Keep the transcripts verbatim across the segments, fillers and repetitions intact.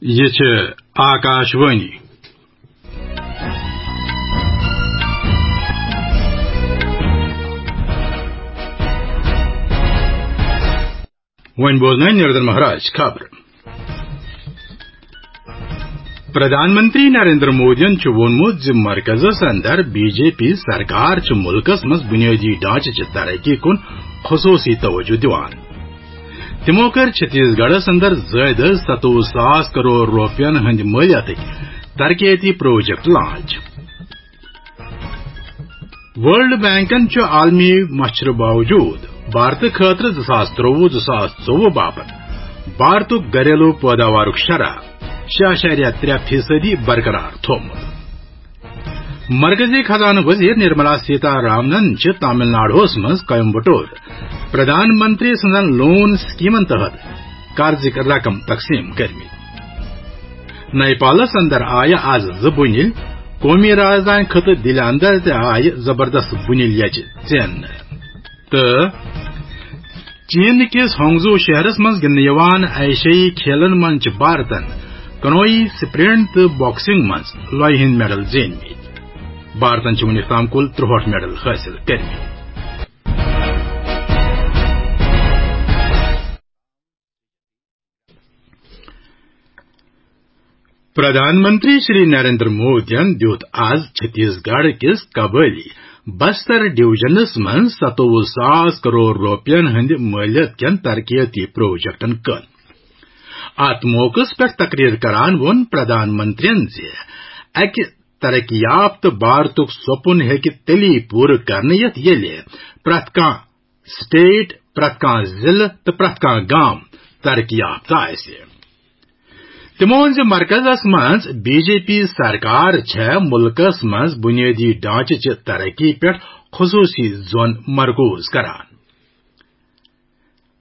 یہِ چھِ آکاش وانی۔ وۄنۍ بوزنٲوۍ نریندر مہراج خبر۔ پردھان منتری نریندر مودیَن چھُ ووٚنمُت زِ مرکزس اندر بی جے پی سرکار چھِ ملکس منٛز بنیٲدی ڈھانچہٕ چہِ ترقی کُن خصوٗصی توجہ دِوان۔ تِمو کٔر چھتیس گڑھس اندر زٲیدٕ ستووُہ ساس کرور رۄپین ہٕنٛدِ مٲلیتٕکۍ ترقیتی پروجیکٹ لانچ۔ ورلڈ بینکن چھُ عالمی مچھرٕ باوجود بھارتہٕ خٲطرٕ زٕ ساس ترٛۆوُہ زٕ ساس ژوٚوُہ باپتھ بھارتُک گھریلو پٲداوارُک شرح شےٚ اعشاریہ ترٛےٚ فیصدی برقرار تھوٚومُت۔ مرکزی خزانہٕ وزیر نرملا سیتا رامنن چھِ تامل ناڈوہس منٛز کویمبٹور پردھان منتری سٕنٛزن لون سکیمن تحت قرضٕکۍ رقم تقسیٖم کٔرمٕتۍ۔ نیپالس اندر آیہِ از زٕ بُنیل، قومی رازدانہِ خطہٕ دِلہِ اندر تہِ آیہِ زبردست بُنیل یچہِ ژیننہٕ۔ تہٕ چین کِس ہانگزو شہرس منٛز گِنٛدنہٕ یِوان ایشیائی کھیلن منٛز چھِ بھارتن کنوئی، سپرنٹ تہٕ باکسنگ منٛز لۄیہِ ہٕنٛدۍ میڈل زیٖنمٕتۍ۔ بھارتن چھِ وُنیُک تام کُل ترٛوہٲٹھ میڈل حٲصِل کٔرمٕتۍ۔ پردھان منتری شری نریندر مودیَن دیُت آز چھتیس گڑھ کِس قبٲئلی بستر ڈویژنس منٛز ستووُہ ساس کرور رۄپین ہٕنٛدِ مٲلیت کٮ۪ن ترقیتی پروجیکٹن کٔن۔ اتھ موقعس پٮ۪ٹھ تقریر کران ووٚن پردھان منتریَن زِ اکہِ ترقی یافتہٕ بھارتُک سپُن ہیٚکہِ تیٚلی پوٗرٕ کرنہٕ یِتھ، ییٚلہِ پرٛٮ۪تھ کانٛہہ سٹیٹ، پرٛٮ۪تھ کانٛہہ ضلعہٕ تہٕ پرٛٮ۪تھ کانٛہہ گام ترقی یافتہٕ آسہِ۔ تِمو ووٚن زِ مرکزس منٛز بی جے پی سرکار چھےٚ مُلکس منٛز بُنیٲدی ڈھانچہٕ چہِ ترقی پٮ۪ٹھ خصوٗصی زون مرکوز کران۔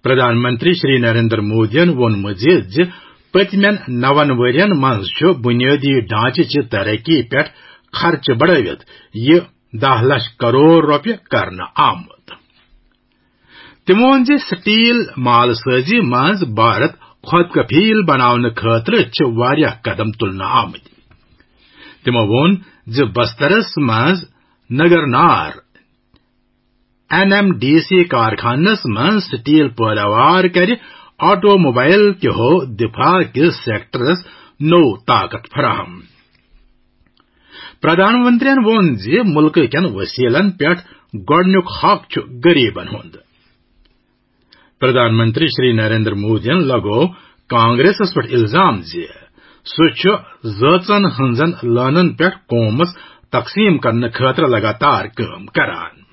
پردھان منتری شری نریندر مودیَن ووٚنمُت زِ زِ پٔتمٮ۪ن نَوَن ؤرین منٛز چھُ بُنیٲدی ڈھانچہٕ چہِ ترقی پٮ۪ٹھ خرچہٕ بڑٲوِتھ یہِ دَہ لچھ کرور رۄپیہِ کرنہٕ آمُت۔ تِمو ووٚن زِ سٹیل مال سٲزی منٛز بھارت خود کفیل بناونہٕ خٲطرٕ چھِ واریاہ قدم تُلنہٕ آمٕتۍ۔ تِمو ووٚن زِ بسترس منٛز نگرنار این ایم ڈی سی کارخانس منٛز سٹیل پٲداوار کرِ آٹو موبائل کیو دفاع کِس سیکٹرس نوٚو طاقت فراہم۔ پردھان منتریَن ووٚن زِ مُلکہٕ کٮ۪ن وسیلن پٮ۪ٹھ گۄڈٕنیُک حق چھُ غریبن ہُنٛد۔ پردھان منتری شری نریندر مودیَن لگوو کانگریسس پٮ۪ٹھ الزام زِ سُہ چھُ زٲژن ہٕنٛزن لٲنن پٮ۪ٹھ قومس تقسیٖم کرنہٕ خٲطرٕ لگاتار کٲم کران۔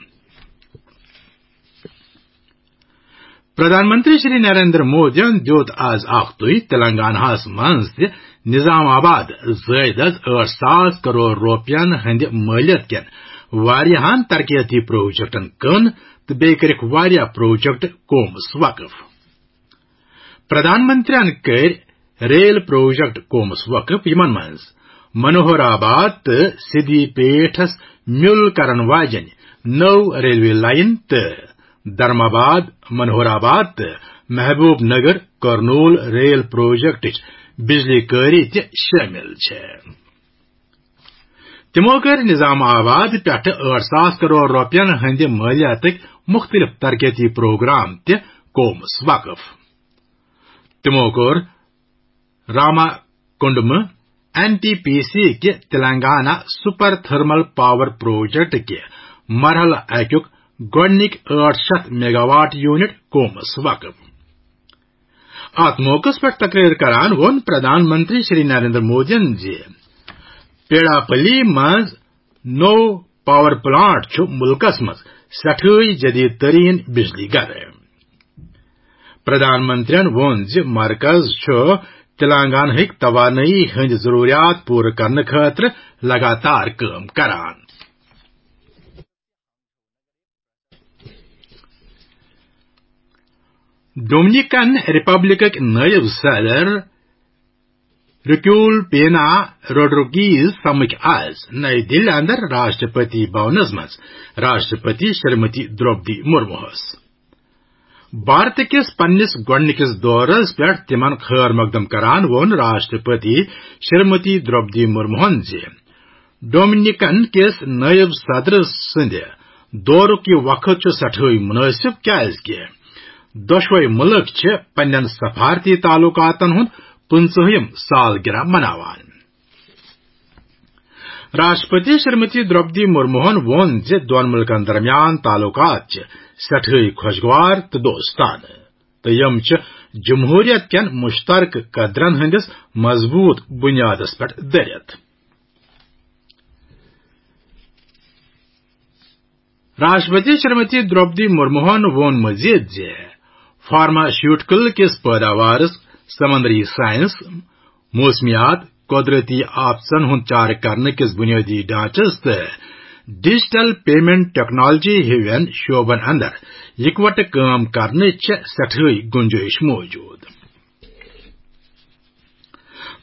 پردھان منتری شری نریندر مودیَن دیُت آز اکھتُے تلنگاناہس منٛز تہِ نظام آباد زٲیدس ٲٹھ ساس کرور رۄپین ہٕنٛدِ مٲلیت کٮ۪ن واریاہن ترقیتی پروجیکٹن کٔن تہٕ بیٚیہِ کٔرِکھ واریاہ پروجیکٹ قومس وقف۔ پردھان منتریَن کٔرۍ ریل پروجیکٹ قومس وقف، یِمن منٛز منوہر آباد تہٕ سدی پیٹھس میُل کرن واجٮ۪ن نٔو ریلوے لائن تہٕ دھرم آباد، منوہر آباد تہٕ محبوب نگر کرنول ریل پروجیکٹٕچ بجلی کٲری تہِ شٲمِل چھےٚ۔ تِمو کٔرۍ نظام آباد پٮ۪ٹھٕ ٲٹھ ساس کرور رۄپین ہٕنٛدِ مٲلیاتٕکۍ مُختٔلِف ترقیتی پروگرام تہِ قومس وقف۔ تِمو کوٚر راما کنڈمہٕ این ٹی پی سی کہِ Telangana super thermal power project کہِ مرحلہٕ اکیُک گۄڈٕنِکۍ ٲٹھ شیٚتھ میگاواٹ یونٹ قومس وقف۔ اتھ موقعس پٮ۪ٹھ تقریر کران ووٚن پردھان منتری شری نریندر مودیَن زِ پیڑاپلی منٛز نوٚو پاور پلانٹ چھُ مُلکس منٛز سٮ۪ٹھٕے جدید ترین بجلی گھر۔ پردھان منتریَن ووٚن زِ مرکز چھُ تلنگانہٕکۍ توانٲیی ہٕنٛدۍ ضروٗریات پوٗرٕ کرنہٕ خٲطرٕ لگاتار کٲم کران۔ ڈومنیکن ریپبلکٕکۍ نٲیِب صدر رکیول پینا روڈرگیز سمکھۍ آز نئی دِلہِ اندر راشٹرپتی بھونس منٛز راشٹرپتی شریمتی دروپدی مرموہس۔ بھارت کِس پننِس گۄڈٕنِکِس دورس پٮ۪ٹھ تِمن خٲر مقدم کران ووٚن راشٹرپتی شریمتی درٛوپدی مرموہن زِ ڈومنیکن کِس نائب صدر سٕنٛدِ دورُک یہِ وقت چھُ سٮ۪ٹھٲے مُنٲسِب، کیازِ کہِ دۄشوے مُلک چھِ پننٮ۪ن سفارتی تعلقاتن ہُنٛد پٕنٛژٕہِم سالگرہ مناوان۔ راشٹرپتی شریمتی درٛوپدی مرموہن ووٚن زِ دۄن مُلکن درمیان تعلقات چھِ سٮ۪ٹھٲے خۄشگوار تہٕ دوستانہٕ، تہٕ یِم چھِ جمہوریت کٮ۪ن مشترکہٕ قدرن ہٕنٛدِس مضبوط بنیادس پٮ۪ٹھ دٔرِتھ۔ راشٹرپتی شریمتی درٛوپدی مرموہن ووٚن مزید زِ فارماسیوٹیکل کِس پٲداوارس، سمندری سائنس، موسمیات، قدرتی آفتن ہُنٛد چارٕ کرنہٕ کِس بنیٲدی ڈھانچس تہٕ ڈیجیٹل پیمنٹ ٹیکنالوجی ہِوٮ۪ن شعبن اندر اکوٹہٕ کٲم کرنٕچ چھےٚ سٮ۪ٹھٲے گُنجٲیِش موجود۔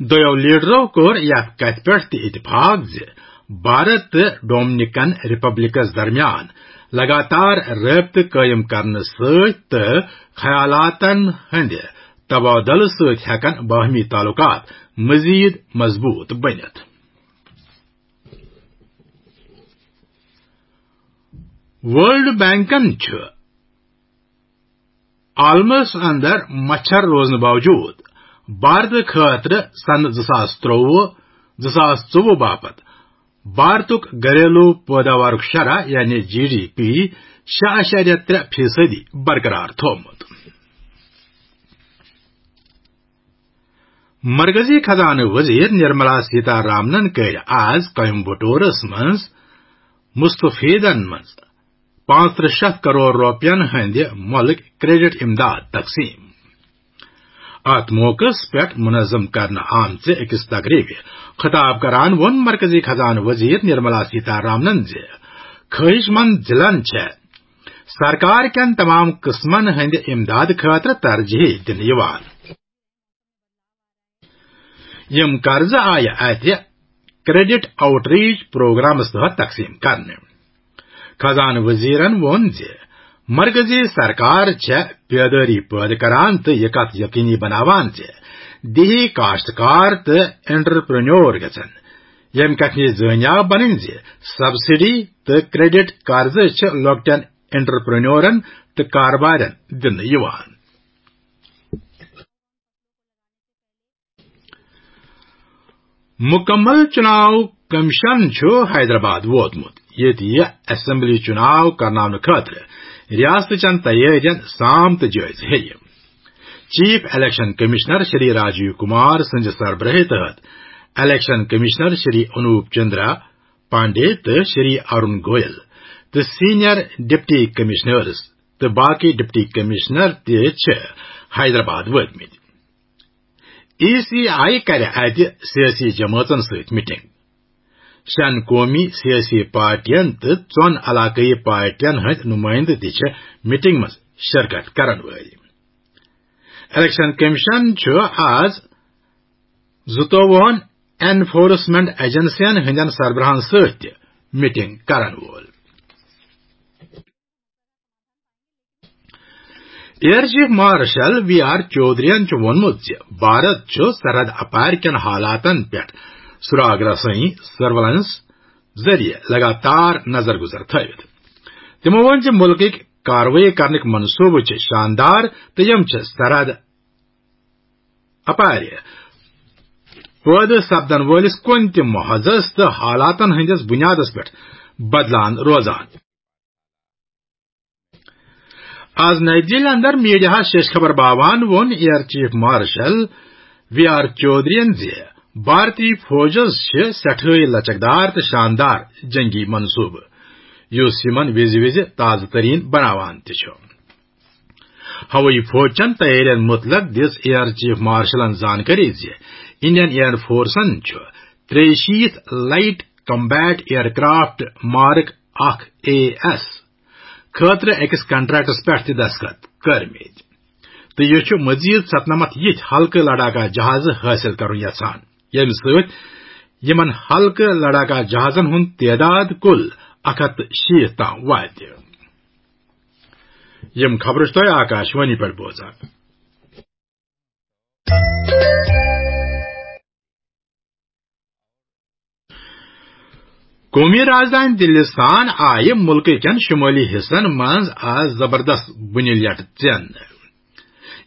دۄیو لیڈرو کوٚر یتھ کتھِ پٮ۪ٹھ تہِ اتفاق زِ بھارت تہٕ ڈومنیکن ریپبلکس درمیان لگاتار رٲبطہٕ قٲیِم کرنہٕ سۭتۍ تہٕ خیالاتن ہٕنٛدِ تبادلہٕ سۭتۍ ہٮ۪کن باہمی تعلقات مزید مضبوط بٔنِتھ۔ ورلڈ بینکن چھُ عالمس اندر مچھر روزنہٕ باوجود بھارت خٲطرٕ سنہٕ زٕ ساس ترٛۆوُہ، زٕ ساس ژوٚوُہ باپتھ بھارتُک گھریلو پٲداوارُک شرح یعنی جی ڈی پی شےٚ اعشاریہ ترٛےٚ فیصدی برقرار تھوٚومُت۔ مرکزی خزانہٕ وزیر نرملا سیتا رامنن کٔر آز کوئمبٹورس منٛز مستفیدن منٛز پانٛژترٕہ شیٚتھ کرور رۄپین ہٕنٛدِ مۄلٕکۍ کریڈٹ امداد تقسیم۔ اتھ موقعس پٮ۪ٹھ منظم کرنہٕ آمژِ أکِس تقریبہِ خطاب کران ووٚن مرکزی خزانہٕ وزیر نرملا سیتا رامنن زِ خواہش مند ضلعن چھےٚ سرکار کٮ۪ن تمام قٕسمن ہٕنٛدِ امداد خٲطرٕ ترجیح دِنہٕ یِوان۔ یِم قرضہٕ آیہِ اتہِ کریڈٹ آؤٹ ریچ پروگرامس تحت تقسیم کرنہٕ۔ خزانہٕ وزیرن ووٚن زِ مرکزی سرکار چھےٚ بیدٲری پٲدٕ کران تہٕ یہِ کتھ یقینی بناوان زِ دیہی کاشتکار تہٕ انٹرپرینور گژھن ییٚمہِ کتھِ نِش زٲنیاب بنٕنۍ زِ سبسڈی تہٕ کریڈٹ قرضہٕ چھِ لۄکٹٮ۪ن انٹرپرینورن تہٕ کاربارن دِنہٕ یِوان۔ مکمل چناو کمیشن چھُ حیدرآباد ووتمُت، ییٚتہِ یہِ اسمبلی چناو کرناونہٕ خٲطرٕ ریاستٕچن تیٲرین سام تہٕ جٲیزٕ ہیٚیہِ۔ Chief election commissioner Shri Rajiv Kumar سٕنٛزِ سربرٲہی تحت الیکشن کمشنر شری انوپ چندرا پانڈے تہٕ شری ارون گویل تہٕ سینئر ڈپٹی کمشنرز تہٕ باقی ڈپٹی کمشنر تہِ چھِ حیدرآباد وٲتمٕتۍ۔ ای سی آئی کرِ اتہِ سیٲسی جمٲژن سۭتۍ میٹنگ۔ شٮ۪ن قومی سیٲسی پارٹین تہٕ ژۄن علاقٲیی پارٹین ہٕنٛدۍ نُمٲیندٕ تہِ چھِ میٹنگ منٛز شرکت کرن وٲلۍ۔ الیکشن کمیشن چھُ آز زٕتووُہن انفورسمنٹ ایجنسین ہٕنٛدٮ۪ن سربراہن سۭتۍ تہِ میٹنگ کرن وول۔ Air chief marshal V R چودھرین چھُ ووٚنمُت زِ بھارت چھُ سرحد اپارِ کٮ۪ن حالاتن پٮ۪ٹھ سراغ رسٲیی، سرویلنس، ذٔریعہٕ لگاتار نظر گزر تھٲوِتھ۔ تِمو ووٚن زِ مُلکٕکۍ کاروٲیی کرنٕکۍ منصوبہٕ چھِ شاندار تہٕ یِم چھِ سرحد اپارِ پٲدٕ سپدن وٲلِس کُنہِ تہِ محاذس تہٕ حالاتن ہٕنٛدِس بُنیادس پٮ۪ٹھ بدلان روزان۔ آز نئی دِلہِ اندر میڈیاہس شیش خبر باوان ووٚن air chief marshal V R چودھرین زِ بھارتی فوجس چھِ سٮ۪ٹھٲے لچکدار تہٕ شاندار جنگی منصوبہٕ، یُس یِمن وِزِ وِزِ تازٕ ترین بناوان تہِ چھُ۔ ہوٲیی فوج چٮ۪ن تیٲرین مُتعلق دِژ ایئر چیف مارشلن زانکٲری زِ انڈین ایئر فورسن چھُ ترٛیہِ شیٖتھ light combat aircraft mark اکھ اے ایس خٲطرٕ أکِس کنٹریکٹس پٮ۪ٹھ تہِ دستخط کٔرمٕتۍ، تہٕ یہِ چھُ مزید ستنمتھ یِتھۍ ہلکہٕ لڑاکا جہازٕ حٲصِل کرُن یژھان، ییٚمہِ سۭتۍ یِمن ہلکہٕ لڑاکا جہازن ہُنٛد تعداد کُل اکھ ہتھ تہٕ شیٖتھ تام واتہِ۔ یِم خبرٕ چھِ تۄہہِ آکاشوانی پٮ۪ٹھ بوزان۔ قومی رازدانۍ دِلہِ سان آیہِ مُلکہٕ کٮ۪ن شُمٲلی حصن منٛز آز زبردست بُنہِ لیٹہٕ ژینہٕ،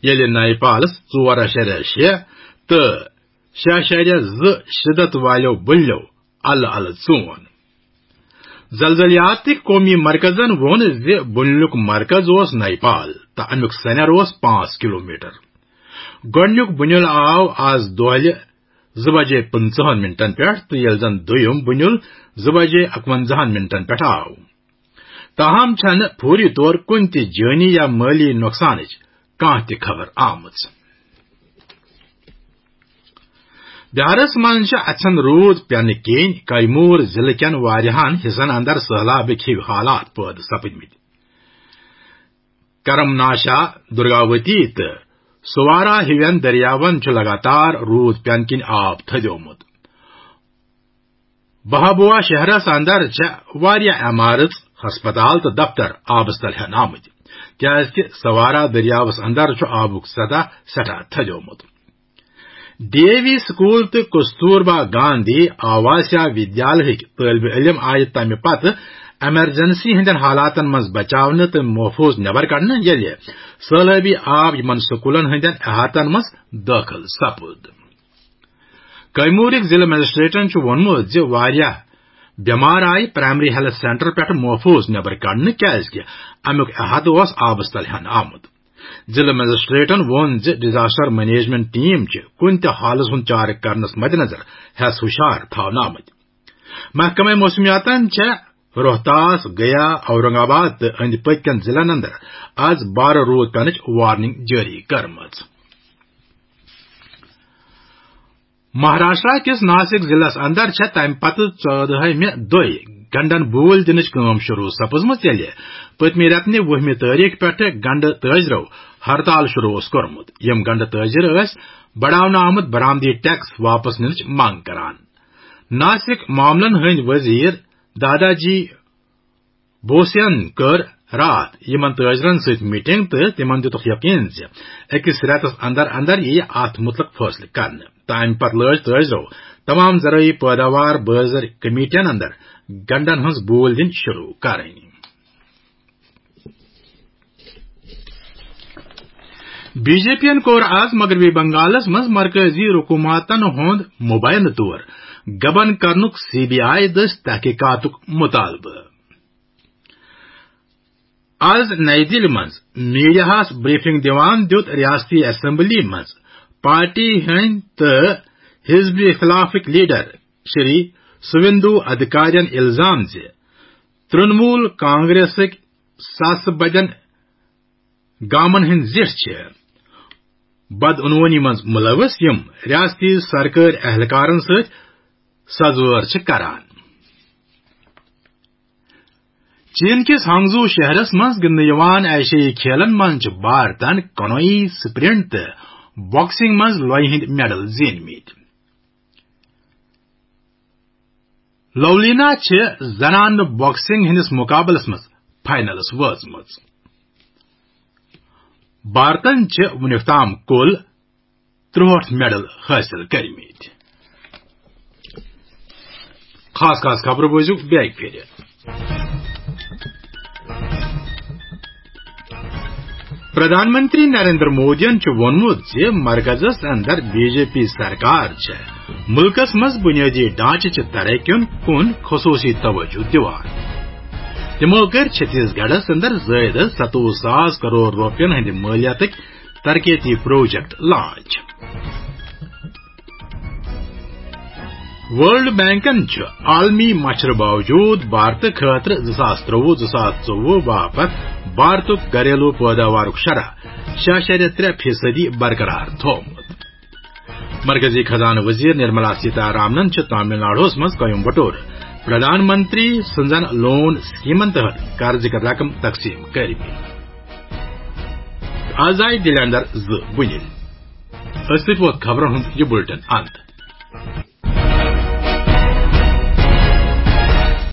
ییٚلہِ نیپالس ژور اَشیریا شےٚ تہٕ شےٚ اَشیریا زٕ شدت والیو بُنلیو الہٕ الہٕ ژون۔ زلزلیاتٕکۍ قومی مرکزن ووٚن زِ بُنیُک مرکز اوس نیپال تہٕ امیُک سنیر اوس پانٛژھ کلومیٹر۔ گۄڈٕنیُک بُنیُل آو آز دۄہلہِ زٕ بجے پٕنٛژٕہن منٹن پٮ۪ٹھ تہٕ ییٚلہِ زن دوٚیُم بُنیُل زٕ بجے اَکوَنزاہن منٹن پٮ۪ٹھ آو۔ تاہم چھنہٕ فوری طور کُنہِ تہِ جٲنی یا مٲلی نۄقصانٕچ کانٛہہ تہِ خبر آمٕژ۔ بہارس منٛز چھِ اَژھن روٗد پٮ۪نہٕ کِنۍ کیمور ضلعہٕ کٮ۪ن واریاہن حصن اندر سٔہلابٕکۍ ہِوۍ حالات پٲدٕ سپٕدمٕتۍ۔ کرم ناشا، درگاوتی تہٕ سوارا ہِوٮ۪ن دٔریاوَن چھُ لگاتار روٗد پٮ۪نہٕ کِنۍ آب تھٔدیومُت۔ بہابوا شہرس اندر چھےٚ واریاہ عمارژ، ہسپتال تہٕ دفتر آبس تل ہٮ۪نہٕ آمٕتۍ، کیازِ کہِ سوارا دٔریاوس اندر چھُ آبُک سطح سٮ۪ٹھاہ تھٔدیومُت۔ ڈی اے وی سکول تہٕ کستوربا گاندھی آواسیا ودیالہٕکۍ طٲلبہِ علم آیہِ تمہِ پتہٕ ایمرجنسی ہٕنٛدٮ۪ن حالاتن منٛز بچاونہٕ تہٕ محفوظ نٮ۪بر کڑنہٕ، ییٚلہِ سٲلٲبی آب یِمن سکولن ہٕنٛدٮ۪ن احاطن منٛز دٲخل سپُد۔ کیمورٕکۍ ضلع مجسٹریٹن چھُ ووٚنمُت زِ واریاہ بٮ۪مار آیہِ پرائمری ہیلتھ سینٹر پٮ۪ٹھ محفوظ نٮ۪بر کڑنہٕ، کیازِ کہِ امیُک احاطہٕ اوس آبس تل ہٮ۪نہٕ آمُت۔ ضلع مجسٹریٹن ووٚن زِ ڈیزاسٹر مینجمنٹ ٹیم چھِ کُنہِ تہِ حالس ہُنٛد چارٕ کرنس مدنظر ہٮ۪س ہُشار تھاونہٕ آمٕتۍ۔ محکمہ موسمیاتن چھےٚ روہتاس، گیا، اورنگ آباد تہٕ أنٛدۍ پٔکۍ کٮ۪ن ضلعن اندر از بارٕ روٗد پینٕچ وارننگ جٲری کٔرمٕژ۔ مہاراشٹرا کِس ناسک ضلعس اندر چھےٚ تمہِ پتہٕ ژۄدہمہِ دۄہہِ گنڈن بوٗلۍ دِنٕچ کٲم شروع سپٕزمٕژ، ییٚلہِ پٔتمہِ رٮ۪تہٕ نہِ وُہمہِ تٲریخ پٮ۪ٹھٕ گنڈٕ تٲجرو ہڑتال شروع اوس کوٚرمُت۔ یِم گنڈٕ تٲجر ٲسۍ بڑاونہٕ آمُت برآمدی ٹیکس واپس نِنٕچ منگ کران۔ ناسک معاملن ہٕنٛدۍ وزیر دادا جی بوسین کٔر راتھ یِمن تٲجرن سۭتۍ میٹنگ تہٕ تِمن دِتُکھ یقین زِ أکِس رٮ۪تس اندر اندر یِیہِ اتھ مُتعلق فٲصلہٕ کرنہٕ۔ تہٕ امہِ پتہٕ لٲج تٲجرو تمام زرٲعی پٲداوار بٲزر کمیٹین اندر گنڈن ہٕنٛز بوٗلۍ دِنۍ شروع کرٕنۍ۔ بی جے پی ین کوٚر آز مغربی بنگالس منٛز مرکزی حکومتن ہُنٛد مبینہٕ طور غبن کرنُک سی بی آئی دٔسۍ تحقیقاتُک مطالبہٕ۔ آز نئی دِلہِ منٛز میڈیاہَس بریفنگ دِوان دیُت ریاستی اسمبلی منٛز پارٹی ہٕنٛدۍ تہٕ حزب اختلافٕکۍ لیڈر شری سویندو ادھکارین الزام زِ ترنمول کانگریسٕکۍ ساسہٕ بدٮ۪ن گامن ہٕنٛدۍ زِٹھۍ چھِ بدعنوٲنی منٛز مُلوث، یِم ریاستی سرکٲرۍ اہلکارن سۭتۍ سزوٲر چھِ کران۔ چین کِس ہانگزو شہرس منٛز گِنٛدنہٕ یِوان ایشیائی کھیلن منٛز چھِ بھارتن کنوئی، سپرنٹ تہٕ باکسنگ منٛز لۄیہِ ہٕنٛدۍ میڈل زیٖنمٕتۍ۔ لولینا چھِ زنانہٕ باکسنگ ہٕنٛدِس مقابلس منٛز فائنلس وٲژمٕژ۔ بھارتن چھِ وُنیُک تام کُل ترٛہٲٹھ میڈل حٲصِل کٔرمٕتۍ۔ خاص خاص خبرٕ بوٗزِو بیٚیہِ پھِرِ۔ پردھان منتری نریندر مودیَن چھُ ووٚنمُت زِ مرکزس اندر بی جے پی سرکار چھےٚ مُلکس منٛز بنیٲدی ڈھانچہٕ چہِ ترقی کُن خصوصی توجہ دِوان۔ تِمو کٔرۍ چھتیس گڑھس اندر زٲیدٕ ستووُہ ساس کرور رۄپین ہٕنٛدِ مٲلیاتٕکۍ ترقیتی پروجیکٹ لانچ۔ ورلڈ بینکن چھُ عالمی مچھرٕ باوجود بھارتہٕ خٲطرٕ زٕ ساس ترٛۆوُہ زٕ ساس ژوٚوُہ باپتھ بھارتُک گھریلو پٲداوارُک شرح شےٚ اَشاریہ ترٛےٚ فیصدی برقرار تھوٚومُت۔ مرکزی خزانہٕ وزیر نرملا سیتارامنن چھِ تامل ناڈوَس منٛز کویمبٹور پردھان منتری سٕنٛزن لون سکیمن تحت قرضٕکۍ رقم تقسیٖم کٔرمٕتۍ۔ آز آیہِ دِلہِ اندر زٕ بُنیل۔ أسۍ سۭتۍ ووت خبرن ہُنٛد یہِ بُلٹن اند۔